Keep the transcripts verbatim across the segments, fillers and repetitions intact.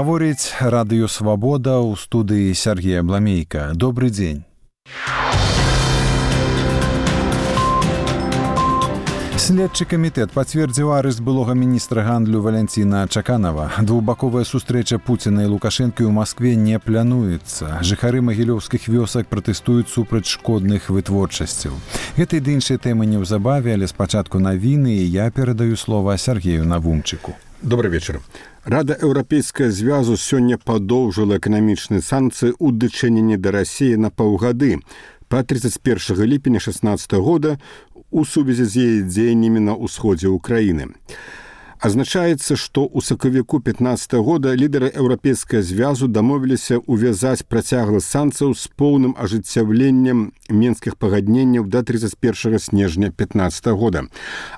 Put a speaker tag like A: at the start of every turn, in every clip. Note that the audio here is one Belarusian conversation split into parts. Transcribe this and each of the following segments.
A: Гаворыць радыё «Свабода» ў студыі Сергея Бламейка. Добры дзень. Следчы камітэт пацвердзіў арышт былога міністра гандлю Валянціна Чаканава. Двухбаковая сустрэча Пуціна і Лукашэнкі ў Маскве не плануецца. Жыхары магілёўскіх вёсак пратэстуюць супраць шкодных вытворчасцяў. Гэтай ды іншай тэмы неўзабаве, але спачатку навіны, і я перадаю слова Сергею Навумчыку.
B: Добрый вечер. Рада Еўрапейскага звязу сёння падоўжыла эканамічныя санкцыі ў дачыненні да Расіі на паўгады па тридцать первого ліпеня шестнадцатого года у сувязі з яе дзеяннямі на ўсходзе ўкраіны. Азначаецца, што ў сакавіку пятнадцатого года лідары Еўрапейскага звязу дамовіліся увязаць працяглы санкцыяў з поўным ажыццяўленнем менскіх пагадненняў да тридцать первого снежня пятнадцатого года.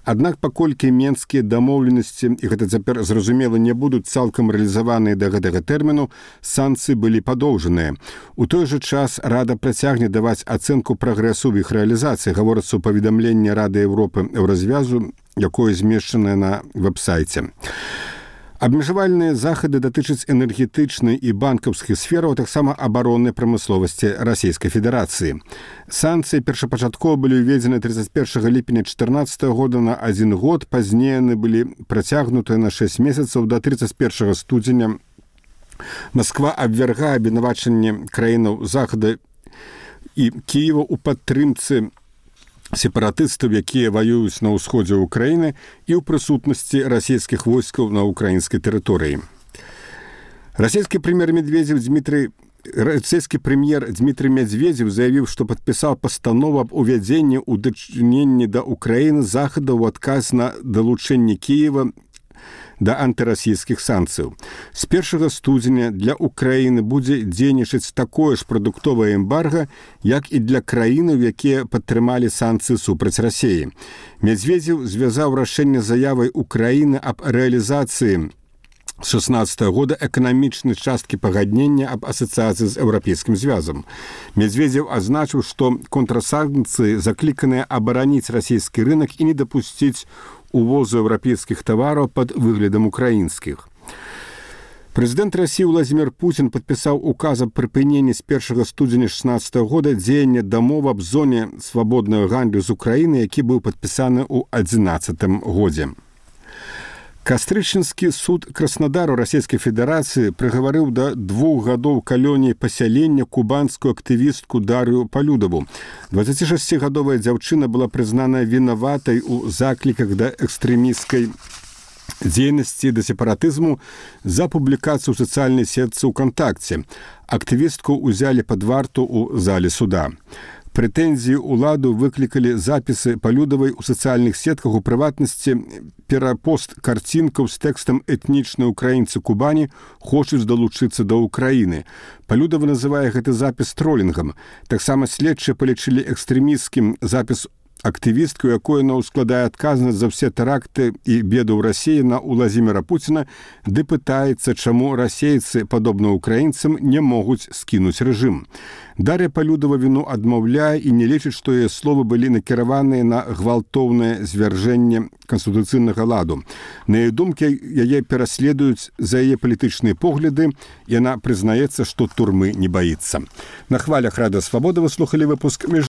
B: Аднак, паколькі менскія дамоўленасці, і гэта цяпер зразумела, не будуць цалкам рэалізаваныя да гэтага тэрміну, санкцыі былі падоўжаныя. У той жа час Рада працягне даваць ацэнку прагрэсу ў іх рэалізацыі, гаворыцца ў паведамленні Рады Еўропы Еўразвязу, якое змешчанае на вэб-сайце. Абмежавальныя захады датычаць энергетычнай і банкаўскіх сфераў, а таксама абароннай прамысловасці Расійскай Федэрацыі. Санкцыі першапачаткова былі ўведзены тридцать первого ліпеня чатырнаццатого года на адзін год, пазней яны былі працягнутыя на шэсць месяцаў да тридцать первого студзеня. Масква абвяргае абвінавачанне краінаў захада і Кіева ў падтрымцы сепаратыстаў, якія ваююць на ўсходзе ўкраіны і ў прысутнасці расійскіх войскаў на ўкраінскай тэрыторыі. Расійскі прэм'ер Медведзеў Дмітрий Расійскі прэм'ер Дмітрий Медведзеў заявіў, што падпісаў пастанову аб увядзенні ў дачыненні да ўкраіны захада ў адказ на далучэнне Кіева да антырасійскіх санкцыяў. З першага студзеня для ўкраіны будзе дзейнічаць такое ж прадуктовае эмбарга, як і для краінаў, якія падтрымалі санкцыі супраць Расіі. Медведзеў звязаў рашэнне заявай Украіны аб рэалізацыі з шестнадцатого года эканамічнай часткі пагаднення аб асацыяцыі з Еўрапейскім звязам. Медведзеў азначыў, што контрсанкцыі закліканыя абараніць расійскі рынок і не дапусціць увозу еўрапейскіх тавараў пад выглядам украінскіх. Прэзідэнт Расіі Владзімір Пуцін падпісаў указ аб прыпыненні з першага студзеня шестнадцатого года дзеяння дамовы аб зоне свабоднага гандлю з Украіны, які быў падпісаны ў адзінаццатым годзе. Кастрычніцкі суд Краснодару Расійскай Федэрацыі прыгаварыў да двух гадоў калоніі пасялення кубанскую актывістку Дар'ю Палюдаву. дваццацішасцігадовая дзяўчына была прызнана вінаватай у закліках да экстрэмісцкай дзейнасці да сепаратызму за публікацыю ў сацыяльнай сетцы УКонтакце. Актывістку ўзялі пад варту ў зале суда. Прэтэнзіі ўладу выклікалі запісы Палюдавай у сацыяльных сетках, у прыватнасці перапост карцінкаў з тэкстам «Этнічныя ўкраінцы Кубані хочуць далучыцца да Ўкраіны». Палюдава называе гэты запіс тролінгам. Таксама следчыя палічылі экстрэмісцкім запіс актывістку, якой яна ўскладае адказнасць за ўсе тэракты і беды ў Расіі на Владзіміра Пуціна, ды пытаецца, чаму расейцы, падобна ўкраінцам, не могуць скінуць рэжым. Дар'я Палюдава віну адмаўляе і не лічыць, што яе словы былі накіраваныя на гвалтоўнае звяржэнне канстытуцыйнага ладу. На яе думкі, яе пераследуюць за яе палітычныя погляды, і яна прызнаецца, што турмы не баіцца. На хвалях Рады Свабоды вы слухалі выпуск